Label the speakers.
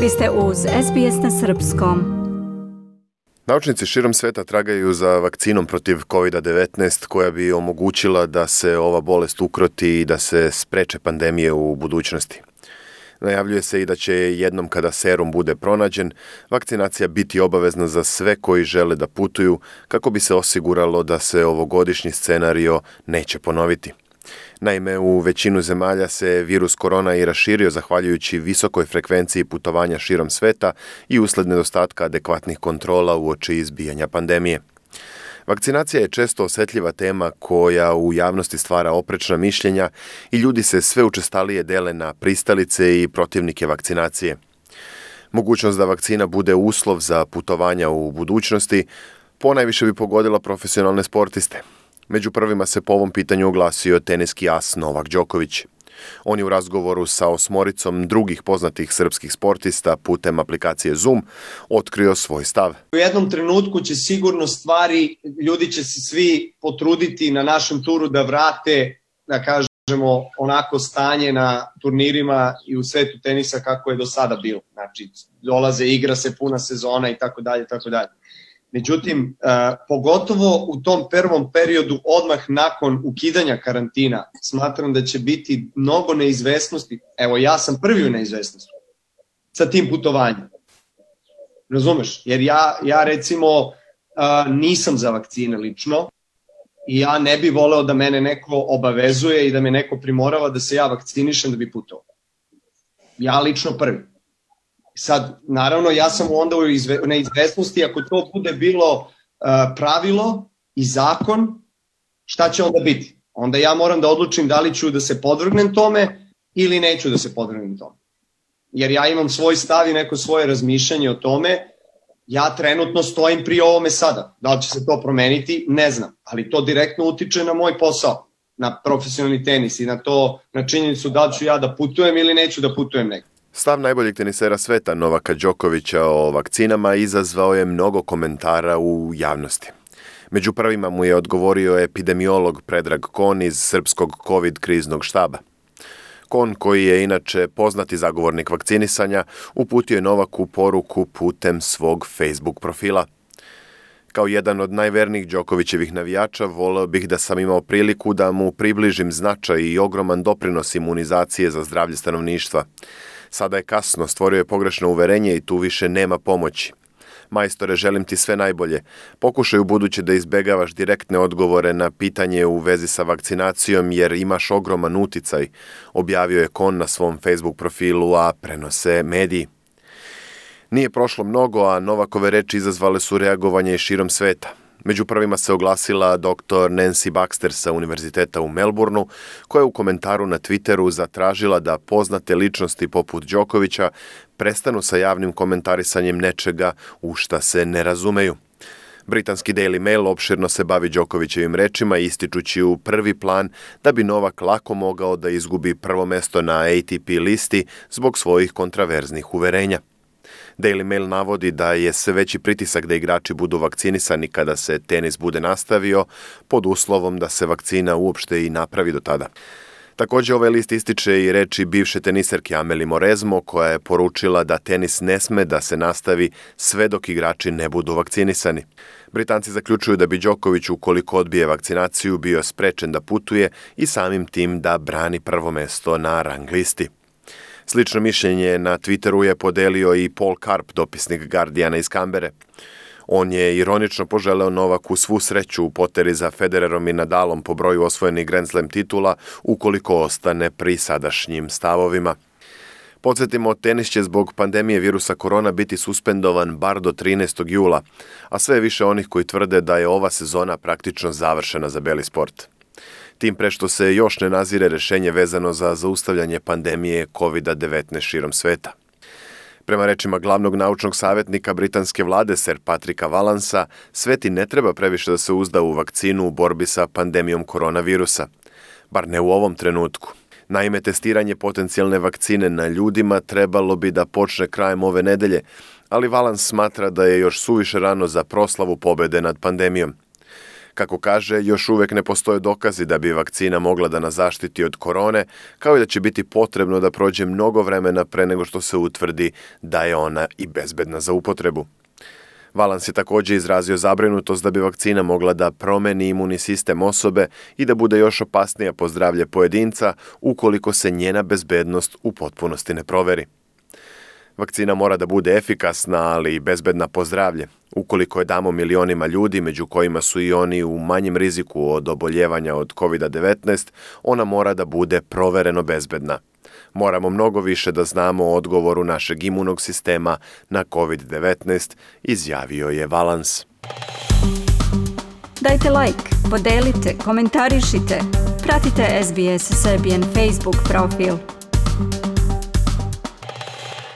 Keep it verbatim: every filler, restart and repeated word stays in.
Speaker 1: Vi ste uz S B S na srpskom.
Speaker 2: Naučnici širom sveta tragaju za vakcinom protiv kovid devetnaest koja bi omogućila da se ova bolest ukroti i da se spreče pandemije u budućnosti. Najavljuje se i da će jednom kada serum bude pronađen, vakcinacija biti obavezna za sve koji žele da putuju kako bi se osiguralo da se ovogodišnji scenario neće ponoviti. Naime, u većinu zemalja se virus korona i raširio zahvaljujući visokoj frekvenciji putovanja širom sveta i usled nedostatka adekvatnih kontrola uoči izbijanja pandemije. Vakcinacija je često osetljiva tema koja u javnosti stvara oprečna mišljenja i ljudi se sve učestalije dele na pristalice i protivnike vakcinacije. Mogućnost da vakcina bude uslov za putovanja u budućnosti ponajviše bi pogodila profesionalne sportiste. Među prvima se po ovom pitanju oglasio teniski as Novak Đoković. On je u razgovoru sa osmoricom drugih poznatih srpskih sportista putem aplikacije Zoom otkrio svoj stav.
Speaker 3: U jednom trenutku će sigurno stvari, ljudi će se svi potruditi na našem turu da vrate, da kažemo, onako stanje na turnirima i u svetu tenisa kako je do sada bilo. Znači, dolaze, igra se puna sezona i tako dalje, tako dalje. Međutim, uh, pogotovo u tom prvom periodu odmah nakon ukidanja karantina, smatram da će biti mnogo neizvesnosti. Evo, ja sam prvi u neizvesnosti sa tim putovanjem. Razumeš? Jer ja, ja recimo uh, nisam za vakcine lično i ja ne bi voleo da mene neko obavezuje i da me neko primorava da se ja vakcinišem da bi putovao. Ja lično prvi. Sad, naravno, ja sam onda u izve, neizvesnosti, ako to bude bilo uh, pravilo i zakon, šta će onda biti? Onda ja moram da odlučim da li ću da se podvrgnem tome ili neću da se podvrgnem tome. Jer ja imam svoj stav i neko svoje razmišljanje o tome, ja trenutno stojim pri ovome sada. Da li će se to promeniti? Ne znam, ali to direktno utiče na moj posao, na profesionalni tenis i na to, na činjenicu da li ću ja da putujem ili neću da putujem negdje.
Speaker 2: Stav najboljeg tenisera sveta Novaka Đokovića o vakcinama izazvao je mnogo komentara u javnosti. Među prvima mu je odgovorio epidemiolog Predrag Kon iz Srpskog COVID kriznog štaba. Kon, koji je inače poznati zagovornik vakcinisanja, uputio je Novaku poruku putem svog Facebook profila. Kao jedan od najvernijih Đokovićevih navijača, voleo bih da sam imao priliku da mu približim značaj i ogroman doprinos imunizacije za zdravlje stanovništva. Sada je kasno, stvorio je pogrešno uverenje i tu više nema pomoći. Majstore, želim ti sve najbolje. Pokušaj u buduće da izbegavaš direktne odgovore na pitanje u vezi sa vakcinacijom jer imaš ogroman uticaj, objavio je Kon na svom Facebook profilu, a prenose mediji. Nije prošlo mnogo, a Novakove reči izazvale su reagovanje i širom sveta. Među prvima se oglasila doktor Nancy Baxter sa Univerziteta u Melbourneu, koja je u komentaru na Twitteru zatražila da poznate ličnosti poput Đokovića prestanu sa javnim komentarisanjem nečega u šta se ne razumeju. Britanski Daily Mail opširno se bavi Đokovićevim rečima, ističući u prvi plan da bi Novak lako mogao da izgubi prvo mesto na A T P listi zbog svojih kontraverznih uverenja. Daily Mail navodi da je sve veći pritisak da igrači budu vakcinisani kada se tenis bude nastavio, pod uslovom da se vakcina uopšte i napravi do tada. Također ovaj list ističe i reči bivše teniserke Amelie Mauresmo, koja je poručila da tenis ne sme da se nastavi sve dok igrači ne budu vakcinisani. Britanci zaključuju da bi Đoković, ukoliko odbije vakcinaciju, bio sprečen da putuje i samim tim da brani prvo mesto na rang listi. Slično mišljenje na Twitteru je podelio i Paul Karp, dopisnik Guardiana iz Kambere. On je ironično poželeo Novaku svu sreću u poteri za Federerom i Nadalom po broju osvojenih Grand Slam titula, ukoliko ostane pri sadašnjim stavovima. Podsjetimo, tenis će zbog pandemije virusa korona biti suspendovan bar do trinaestog jula, a sve više onih koji tvrde da je ova sezona praktično završena za beli sport. Tim pre što se još ne nazire rešenje vezano za zaustavljanje pandemije kovid devetnaest širom sveta. Prema rečima glavnog naučnog savjetnika britanske vlade Sir Patricka Vallansa, svet i ne treba previše da se uzda u vakcinu u borbi sa pandemijom koronavirusa. Bar ne u ovom trenutku. Naime, testiranje potencijalne vakcine na ljudima trebalo bi da počne krajem ove nedelje, ali Vallans smatra da je još suviše rano za proslavu pobede nad pandemijom. Kako kaže, još uvijek ne postoje dokazi da bi vakcina mogla da nas zaštiti od korone, kao i da će biti potrebno da prođe mnogo vremena pre nego što se utvrdi da je ona i bezbedna za upotrebu. Valans je također izrazio zabrinutost da bi vakcina mogla da promeni imunni sistem osobe i da bude još opasnija po zdravlje pojedinca ukoliko se njena bezbednost u potpunosti ne proveri. Vakcina mora da bude efikasna, ali i bezbedna po zdravlje. Ukoliko je damo milionima ljudi, među kojima su i oni u manjem riziku od oboljevanja od kovid devetnaest, ona mora da bude provereno bezbedna. Moramo mnogo više da znamo o odgovoru našeg imunog sistema na kovid devetnaest, izjavio je Valans.
Speaker 1: Dajte like, podelite, komentarišite. Pratite S B S Serbian Facebook profil.